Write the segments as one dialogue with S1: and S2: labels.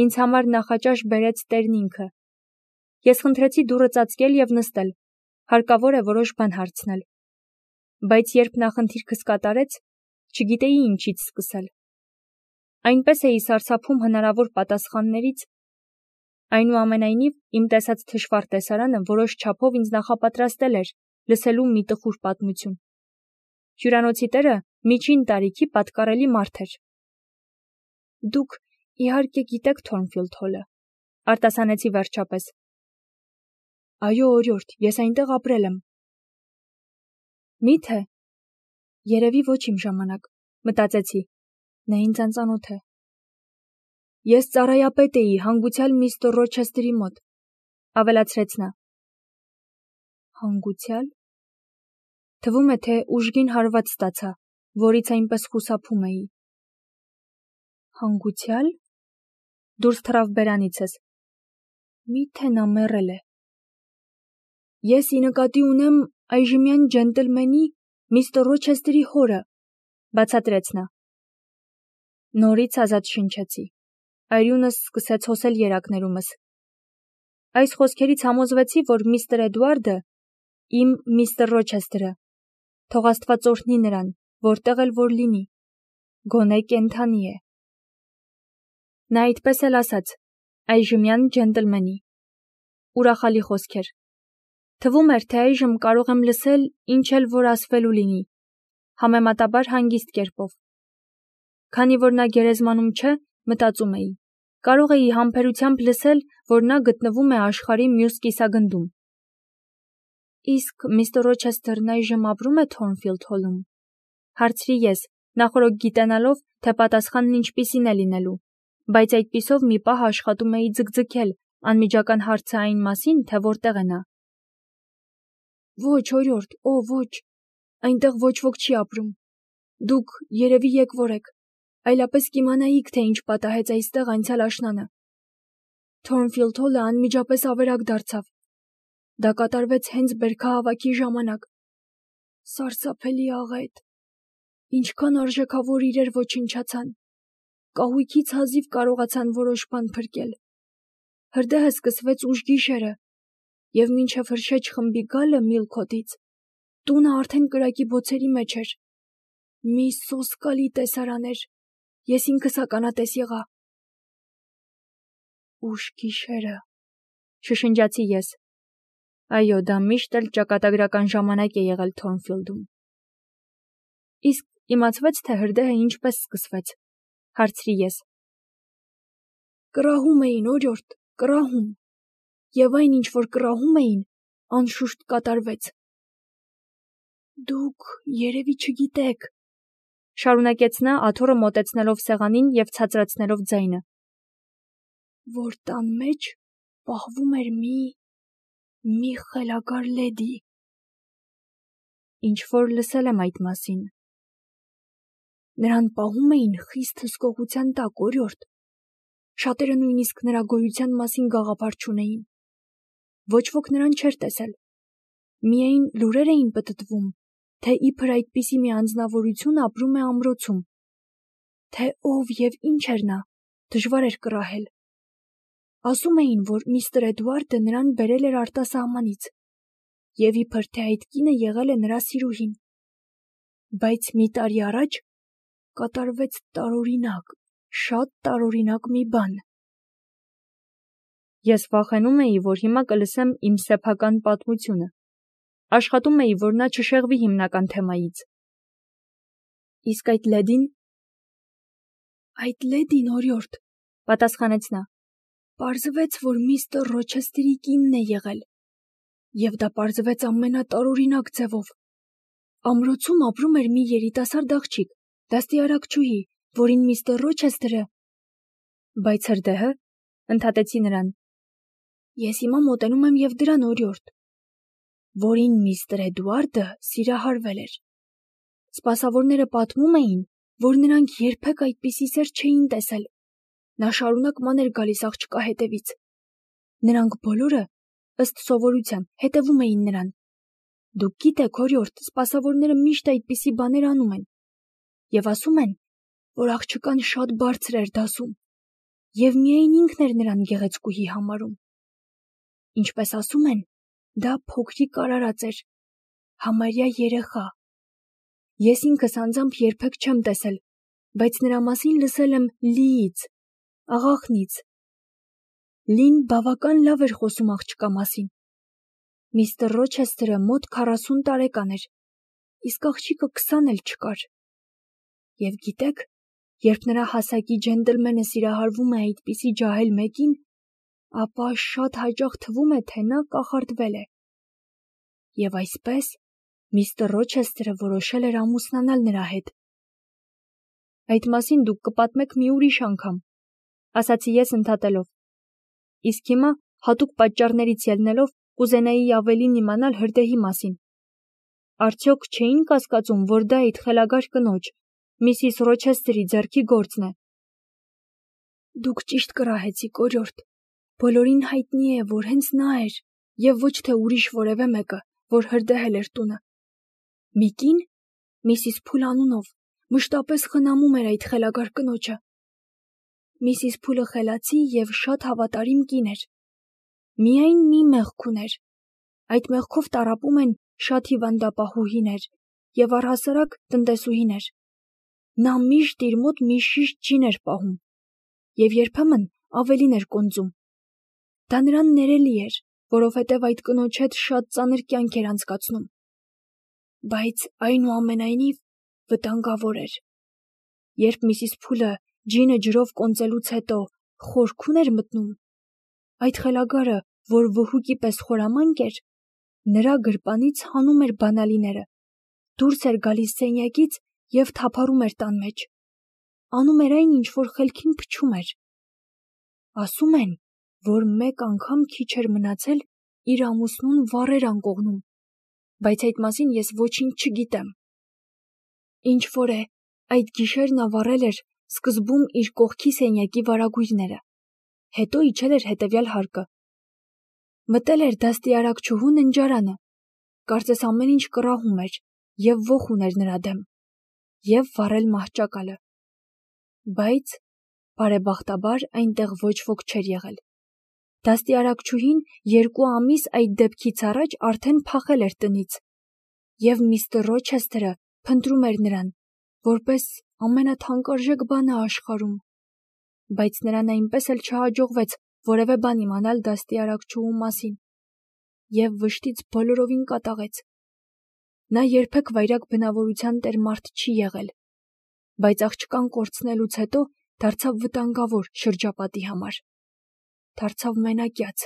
S1: Ինձ համար նախաճաշ բերեց Տերն ինքը։ Ես խնդրեցի դուռը ծածկել և նստել, հարկավոր է որոշ բան հարցնել։ Բայց երբ նա խնդիրքս կատարեց, չգիտեի ինչից սկսել։ Այնպես էի սարսափում հնարավոր պատասխաններից, այնուամենայնիվ իմ տեսած թշվառ տեսարանը որոշ չափով ինձ նախապատրաստել էր լսելու մի տխուր պատմություն։ Հյուրանոցի տերը միջին տարիքի պատկառելի մարդ էր։ Դուք իհարկե գիտեք Թորնֆիլդ Հոլը, արտասանեցի վերջապես։ Այո, օրիորդ, ես այնտեղ ապրել եմ։ Մի՞թե։ Երևի ոչ իմ ժամանակ, մտածեցի, նա ինձ անծանոթ է։ Ես ծառայապետ էի հանգուցյալ միստր Ռոչեսթերի մոտ, ավելացրեց նա։ Հանգուցյալ։ Թվում է, թե ուժգին հարված ստացա, որից այնպես խուսափում էի։ Հանգուցյալ։ Դուրս թռավ բերանիցս։ Մի՞թե նա մեռել է։ Ես ի նկատի ունեմ այժմյան ջենտլմենի միստր Ռոչեսթերի հորը, բացատրեց նա։ Նորից ազատ շնչեցի։ Արյունս սկսեց հոսել երակներումս։ Այս խոսքերից համոզվեցի, որ միստր Էդուարդը, իմ միստր Ռոչեսթերը, թող Աստված օրհնի նրան, որտեղ էլ որ լինի, գոնե կենդանի է։ Նա այդպես էլ ասաց, այժմյան ջենտլմենի։ Ուրախալի խոսքեր։ Թվում էր, թե այժմ կարող եմ լսել, ինչ էլ որ ասվելու լինի, համեմատաբար հանգիստ կերպով։ Քանի որ նա գերեզմանում չէ, մտածում էի, կարող էի համբերությամբ լսել, որ նա գտնվում է աշխարհի մյուս կիսագնդում։ Իսկ միստր Ռոչեսթերն այժմ ապրում է Թորնֆիլդ Հոլում, հարցրի ես, նախօրոք գիտենալով, թե պատասխանն ինչպիսին է լինելու, բայց այդպիսով մի պահ աշխատում էի ձգձգել անմիջական հարցը այն մասին, թե որտեղ է նա։ Ոչ, օրիորդ, ոչ, այնտեղ ոչ ոք չի ապրում։ Դուք երևի եկվոր եք, այլապես կիմանայիք, թե ինչ պատահեց այստեղ անցյալ աշնանը։ Թորնֆիլդ Հոլը անմիջապես ավերակ դարձավ։ Դա կատարվեց հենց բերքահավաքի ժամանակ։ Սարսափելի աղետ։ Ինչքան արժեքավոր իրեր ոչնչացան։ Կահույքից հազիվ կարողացան որոշ բան փրկել։ Հրդեհը սկսվեց ուշ գիշերը, և մինչև հրշեջ խմբի գալը Միլքոթից, տունը արդեն կրակի բոցերի մեջ էր։ Մի սոսկալի տեսարան էր, ես ինքս ականատես եղա։ Ուշ գիշերը, շշնջացի ես։ Այո, դա միշտ էլ ճակատագրական ժամանակ է եղել Թորնֆիլդում։ Իսկ իմացվեց, թե հրդեհը ինչպես սկսվեց, հարցրի ես։ Կռահում էին, օրիորդ, կռահում, և այն, ինչ որ կռահում էին, անշուշտ կատարվեց։ Դուք երևի չգիտեք, շարունակեց նա, աթոռը մոտեցնելով սեղանին և ցածրացնելով ձայնը, որ տան մեջ պահվում էր մի խելագար լեդի։ Ինչ որ լսել եմ այդ մասին։ Նրան պահում էին խիստ հսկողության տակ, օրիորդ։ Շատերը նույնիսկ նրա գոյության մասին գաղափար չունեին։ Ոչ ոք նրան չէր տեսել։ Միայն լուրեր էին պտտվում, թե իբր այդպիսի մի անձնավորություն ապրում է ամրոցում։ Թե ով և ինչ էր նա, դժվար էր կռահել։ Ասում էին, որ միստր Էդուարդը նրան բերել էր արտասահմանից, և իբր թե այդ կինը եղել է նրա սիրուհին։ Բայց մի տարի առաջ կատարվեց տարօրինակ, շատ տարօրինակ մի բան։ Ես վախենում էի, որ հիմա կլսեմ իմ սեփական պատմությունը։ Աշխատում էի, որ նա չշեղվի հիմնական թեմայից։ Իսկ այդ լեդին։ Այդ լեդին, օրիորդ, պատասխանեց նա, պարզվեց, որ միստր Ռոչեսթերի կինն է եղել, և դա պարզվեց ամենատարօրինակ ձևով։ Ամրոցում ապրում էր մի երիտասարդ աղջիկ, դաստիարակչուհի, որին միստր Ռոչեսթերը։ Բայց հրդեհը, ընդհատեցի նրան։ Ես հիմա մոտենում եմ և դրան, օրիորդ, որին միստր Էդուարդը սիրահարվել էր։ Սպասավորները պատմում էին, որ նրանք երբեք այդպիսի սեր չէին տեսել։ Նա շարունակ ման էր գալիս աղջկա հետևից։ Նրանք բոլորը, ըստ սովորության, հետևում էին նրան։ Դուք գիտեք, օրիորդ, սպասավորները միշտ այդպիսի բաներ անում են։ Եվ ասում են, որ աղջկան շատ բարձր էր դասում, և միայն ինքն էր նրան գեղեցկուհի համարում։ Ինչպես ասում են, դա փոքրիկ արարած էր, համարյա երեխա։ Ես ինքս անձամբ երբեք չեմ տեսել, բայց նրա մասին լսել եմ Լիից, աղախնից։ Լին բավական լավ էր խոսում աղջկա մասին։ Միստր Ռոչեսթերը մոտ 40 տարեկան էր, իսկ աղջիկը 20 էլ չկար։ Եվ գիտեք, երբ նրա հասակի ջենտլմենը սիրահարվում է այդպիսի ջահել մեկին, ապա շատ հաճախ թվում է, թե նա կախարդվել է։ Եվ այսպես միստր Ռոչեսթերը որոշել էր ամուսնանալ նրա հետ։ Այդ մասին դուք կպատմեք մի ուրիշ անգամ, ասացի ես ընդհատելով։ Իսկ հիմա հատուկ պատճառներից ելնելով կուզենայի ավելին իմանալ հրդեհի մասին։ Արդյոք չէին կասկածում, որ դա այդ խելագար կնոջ, Միսիս Ռոչեսթերի ձեռքի գործն է։ Դուք ճիշտ կռահեցիք, օրիորդ։ Բոլորին հայտնի է, որ հենց նա էր, և ոչ թե ուրիշ որևէ մեկը, որ հրդեհել էր տունը։ Մի կին, Միսիս Փուլ անունով, մշտապես խնամում էր այդ խելագար կնոջը։ Միսիս Փուլը խելացի և շատ հավատարիմ կին էր։ Միայն մի մեղք ուներ։ Այդ մեղքով տառապում են շատ հիվանդապահուհիներ և առհասարակ տնտեսուհիներ։ Նա միշտ իր մոտ մի շիշ ջին էր պահում և երբեմն ավելին էր կոնծում։ Դա նրան ներելի էր, որովհետև այդ կնոջ հետ շատ ծանր կյանք էր անցկացնում։ Բայց այնուամենայնիվ վտանգավոր էր։ Երբ Միսիս Փուլը ջինը ջրով կոնծելուց հետո խորքուն էր մտնում, այդ խելագարը, որ վհուկի պես խորամանկ էր, նրա գրպանից հանում էր բանալիները, դուրս էր գալիս սենյակից և թափառում էր տան մեջ։ Անում էր այն, ինչ որ խելքին փչում էր։ Ասում են, որ մեկ անգամ քիչ էր մնացել իր ամուսնուն վառեր անկողնում, բայց այդ մասին ես ոչինչ չգիտեմ։ Ինչ որ է, այդ գիշեր նա վառել էր սկզբում իր կողքի սենյակի վարագույրները, հետո իջել էր հետևյալ հարկը։ Մտել էր դաստիարակչուհու ննջարանը, կարծես ամեն ինչ կռահում էր և ոխ ուներ նրա դեմ, և վառել մահճակալը։ Բայց, բարեբախտաբար, այնտեղ ոչ ոք չէր եղել։ Դաստիարակչուհին 2 ամիս այդ դեպքից առաջ արդեն փախել էր տնից, և միստր Ռոչեսթերը փնտրում էր նրան, որպես ամենաթանկարժեք բանը աշխարհում։ Բայց նրան այնպես էլ չհաջողվեց որևէ բան իմանալ դաստիարակչուհու մասին, և վշտից բոլորովին կատաղեց։ Նա երբեք վայրագ բնավորության տեր մարդ չի եղել, բայց աղջկան կորցնելուց հետո դարձավ վտանգավոր շրջապատի համար։ Դարձավ մենակյաց։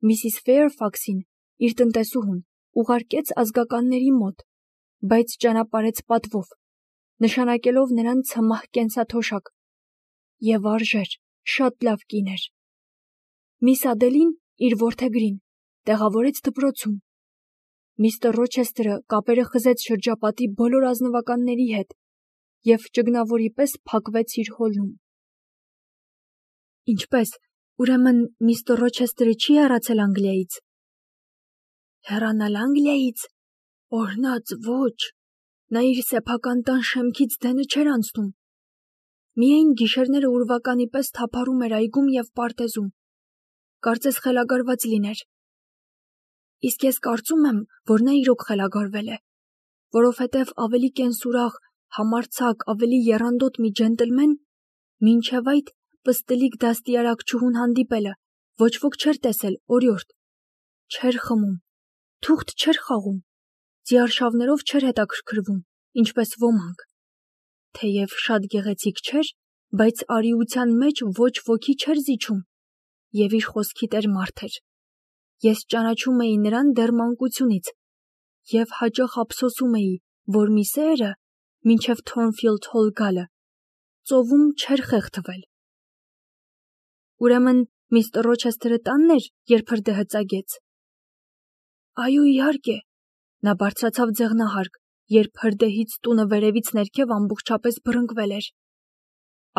S1: Միսիս Ֆեյրֆաքսին, իր տնտեսուհուն, ուղարկեց ազգականների մոտ, բայց ճանապարհեց պատվով, նշանակելով նրան ցմահ կենսաթոշակ, և արժեր, շատ լավ կին էր։ Միս Ադելին, իր որդեգրին, տեղավորեց դպրոցում։ Միստր Ռոչեսթերը կապերը խզեց շրջապատի բոլոր ազնվականների հետ և ճգնավորի պես փակվեց իր հոլում։ Ինչպե՞ս, ուրեմն միստր Ռոչեսթերը չի հեռացել Անգլիայից։ Հեռանալ Անգլիայից։ Օրհնած ոչ, նա իր սեփական տան շեմքից դենը չէր անցնում։ Միայն գիշերները ուրվականի պես թափառում էր այգում և պարտեզում, կարծես խելագարված լիներ։ Իսկ ես կարծում եմ, որ նա իրոք խելագարվել է, որովհետև ավելի կենսուրախ, համարձակ, ավելի եռանդոտ մի ջենտլմեն, մինչև այդ պստլիկ դաստիարակչուհուն հանդիպելը ոչ ոք չէր տեսել, օրիորդ։ Չէր խմում, թուղթ չէր խաղում, ձիարշավներով չէր հետաքրքրվում, ինչպես ոմանք։ Թեև շատ գեղեցիկ չէր, բայց արիության մեջ ոչ ոքի չէր զիջում, և իր խոսքի տեր մարդ էր։ Ես ճանաչում էի նրան դեռ մանկությունից և հաճախ ափսոսում էի, որ մի սերը, մինչև Թորնֆիլդ Հոլ գալը, ծովում չէր խեղդվել։ Ուրեմն միստր Ռոչեսթերը տանն էր, երբ հրդեհը ծագեց։ Այո, իհարկե։ Նա բարձրացավ ձեղնահարկ, երբ հրդեհից տունը վերևից ներքև ամբողջապես բռնկվել էր։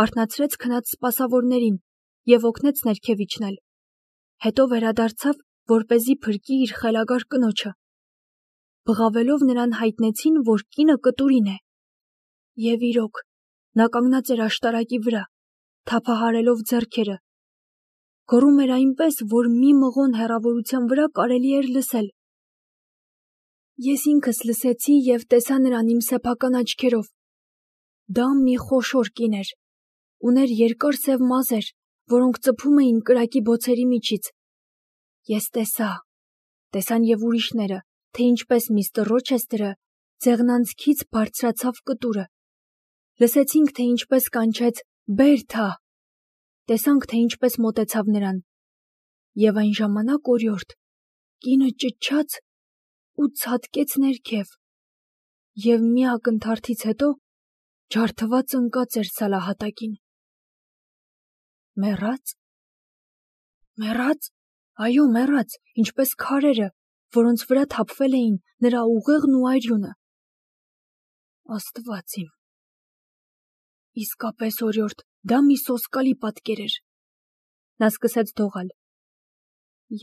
S1: Արթնացրեց քնած սպասավորներին և օգնեց ներքև իջնել։ Հետո վերադարձավ, որպեսզի փրկի իր խելագար կնոջը։ Բղավելով նրան հայտնեցին, որ կինը կտուրին է։ Եվ իրոք, նա կանգնած էր աշտարակի վրա, թափահարելով ձեռքերը։ Գոռում էր այնպես, որ մի մղոն հեռավորության վրա կարելի էր լսել։ Ես ինքս լսեցի և տեսա նրան իմ սեփական աչքերով։ Դա մի խոշոր կին էր, ուներ երկար սև մազեր, որոնք ծփում էին կրակի բոցերի միջից։ Ես տեսան և ուրիշները, թե ինչպես միստր Ռոչեսթերը ձեղնանցքից բարձրացավ կտուրը։ Լսեցինք, թե ինչպես կանչեց «Բերթա», տեսանք, թե ինչպես մոտեցավ նրան։ Եվ այն ժամանակ օրիորդ կինը ճչաց ու ցատկեց ներքև, և մի ակնթարթից հետո ջարդված ընկած էր սալահատակին։ Մեռա՞ծ։ Մեռա՞ծ։ Այո, մեռած, ինչպես քարերը, որոնց վրա թափվել էին նրա ուղեղն ու արյունը։ Աստված իմ։ Իսկապես, օրիորդ, դա մի սոսկալի պատկեր էր։ Նա սկսեց դողալ։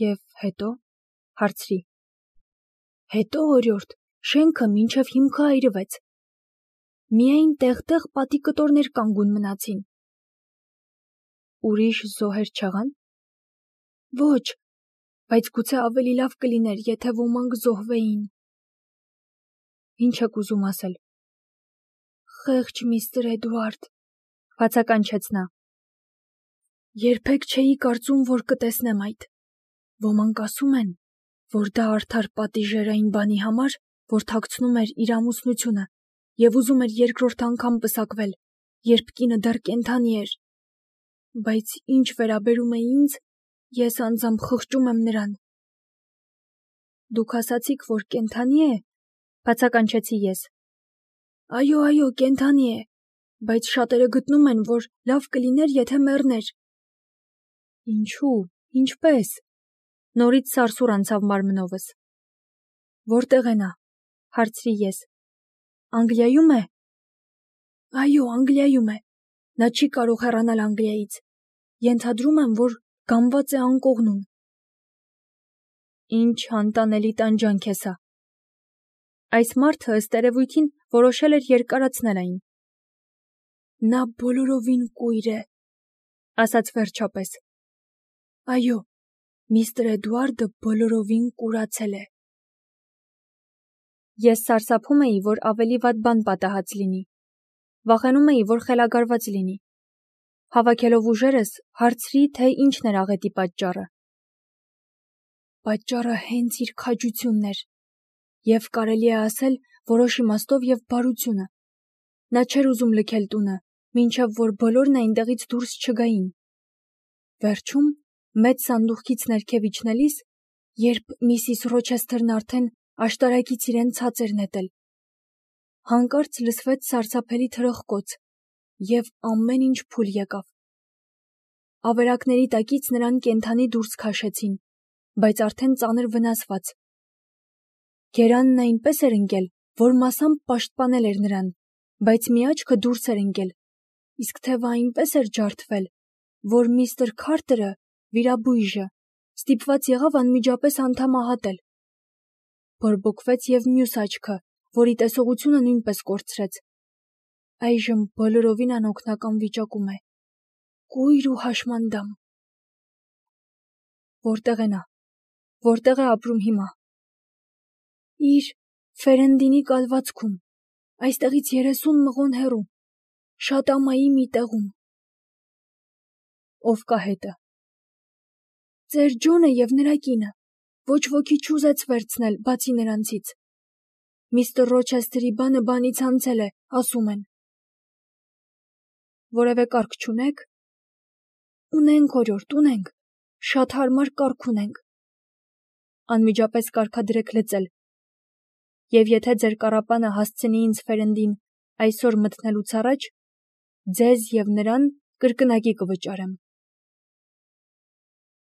S1: Եվ հետո, հարցրի։ Հետո, օրիորդ, շենքը մինչև հիմքը այրվեց։ Միայն տեղ-տեղ պատի կտորներ կանգուն մնացին։ Ուրիշ զոհեր չեղան։ Ոչ, բայց գուցե ավելի լավ կլիներ, եթե ոմանք զոհվեին։ Ինչ եք ուզում ասել։ Խեղճ միստր Էդուարդ, բացականչեց նա։ Երբեք չէի կարծում, որ կտեսնեմ այդ։ Ոմանք ասում են, որ դա արդար պատիժ էր այն բանի համար, որ թաքցնում էր իր ամուսնությունը և ուզում էր երկրորդ անգամ պսակվել, երբ կինը դեռ կենդանի էր։ Բայց ինչ վերաբերում է ինձ, ես անձամբ խղճում եմ նրան։ Դուք ասացիք, որ կենդանի է, բացականչեցի ես։ Այո, կենդանի է, բայց շատերը գտնում են, որ լավ կլիներ, եթե մեռներ։ Ինչու, ինչպես։ Նորից սարսուռ անցավ մարմնովս։ Որտեղ է նա, հարցրի ես։ Անգլիայում է։ Այո, Անգլիայում է։ Նա չի կարող հեռանալ Անգլիայից։ Ենթադրում եմ, որ գամված է անկողնում։ Ինչ անտանելի տանջանք է սա։ Այս մարդը ըստ երևույթին որոշել էր երկարացնել այն։ Նա բոլորովին կույր է, ասաց վերջապես։ Այո, միստր Էդուարդը բոլորովին կուրացել է։ Ես սարսափում էի, որ ավելի վատ բան պատահած լինի։ Վախենում էի, որ խելագարված լինի։ Հավաքելով ուժերս, հարցրի, թե ինչն էր աղետի պատճառը։ Պատճառը հենց իր քաջությունն էր, և կարելի է ասել որոշ իմաստով և բարությունը։ Նա չէր ուզում լքել տունը, մինչև որ բոլորն այնտեղից դուրս չգային։ Վերջում, մեծ սանդուղքից ներքև իջնելիս, երբ միսիս Ռոչեսթերն արդեն աշտարակից իրեն ցած էր նետել, հանկարծ լսվեց սարսափելի թրխկոց, և ամեն ինչ փուլ եկավ։ Ավերակների տակից նրան կենդանի դուրս քաշեցին, բայց արդեն ծանր վնասված։ Գերանն այնպես էր ընկել, որ մասամբ պաշտպանել էր նրան, բայց մի աչքը դուրս էր ընկել, իսկ թևը այնպես էր ջարդվել, որ միստր Քարթերը, վիրաբույժը, ստիպված եղավ անմիջապես անդամահատել։ Բորբոքվեց և մյուս աչքը, որի տեսողությունը նույնպես կորցրեց։ Այժմ բոլորովին անօգնական վիճակում է։ Կույր ու հաշմանդամ։ Որտեղ է նա։ Որտեղ է ապրում հիմա։ Իր Ֆերենդինի կալվածքում, այստեղից 30 մղոն հեռու, շատ ամայի մի տեղում։ Ով կա հետը։ Ծեր Ջոնը և նրա կինը, ոչ ոքի չուզեց վերցնել, բացի նրանցից։ Միստր Ռոչեսթերի բանը բանից անցել է, ասում են։ Որևէ կարգ չունեք։ Ունենք, օրիորդ, ունենք, շատ հարմար կարգ ունենք։ Անմիջապես կարգադրեք լծել։ Եվ եթե ձեր կառապանը հասցնի ինձ Ֆերենդին այսօր մտնելուց առաջ, ձեզ և նրան կրկնակի կվճարեմ։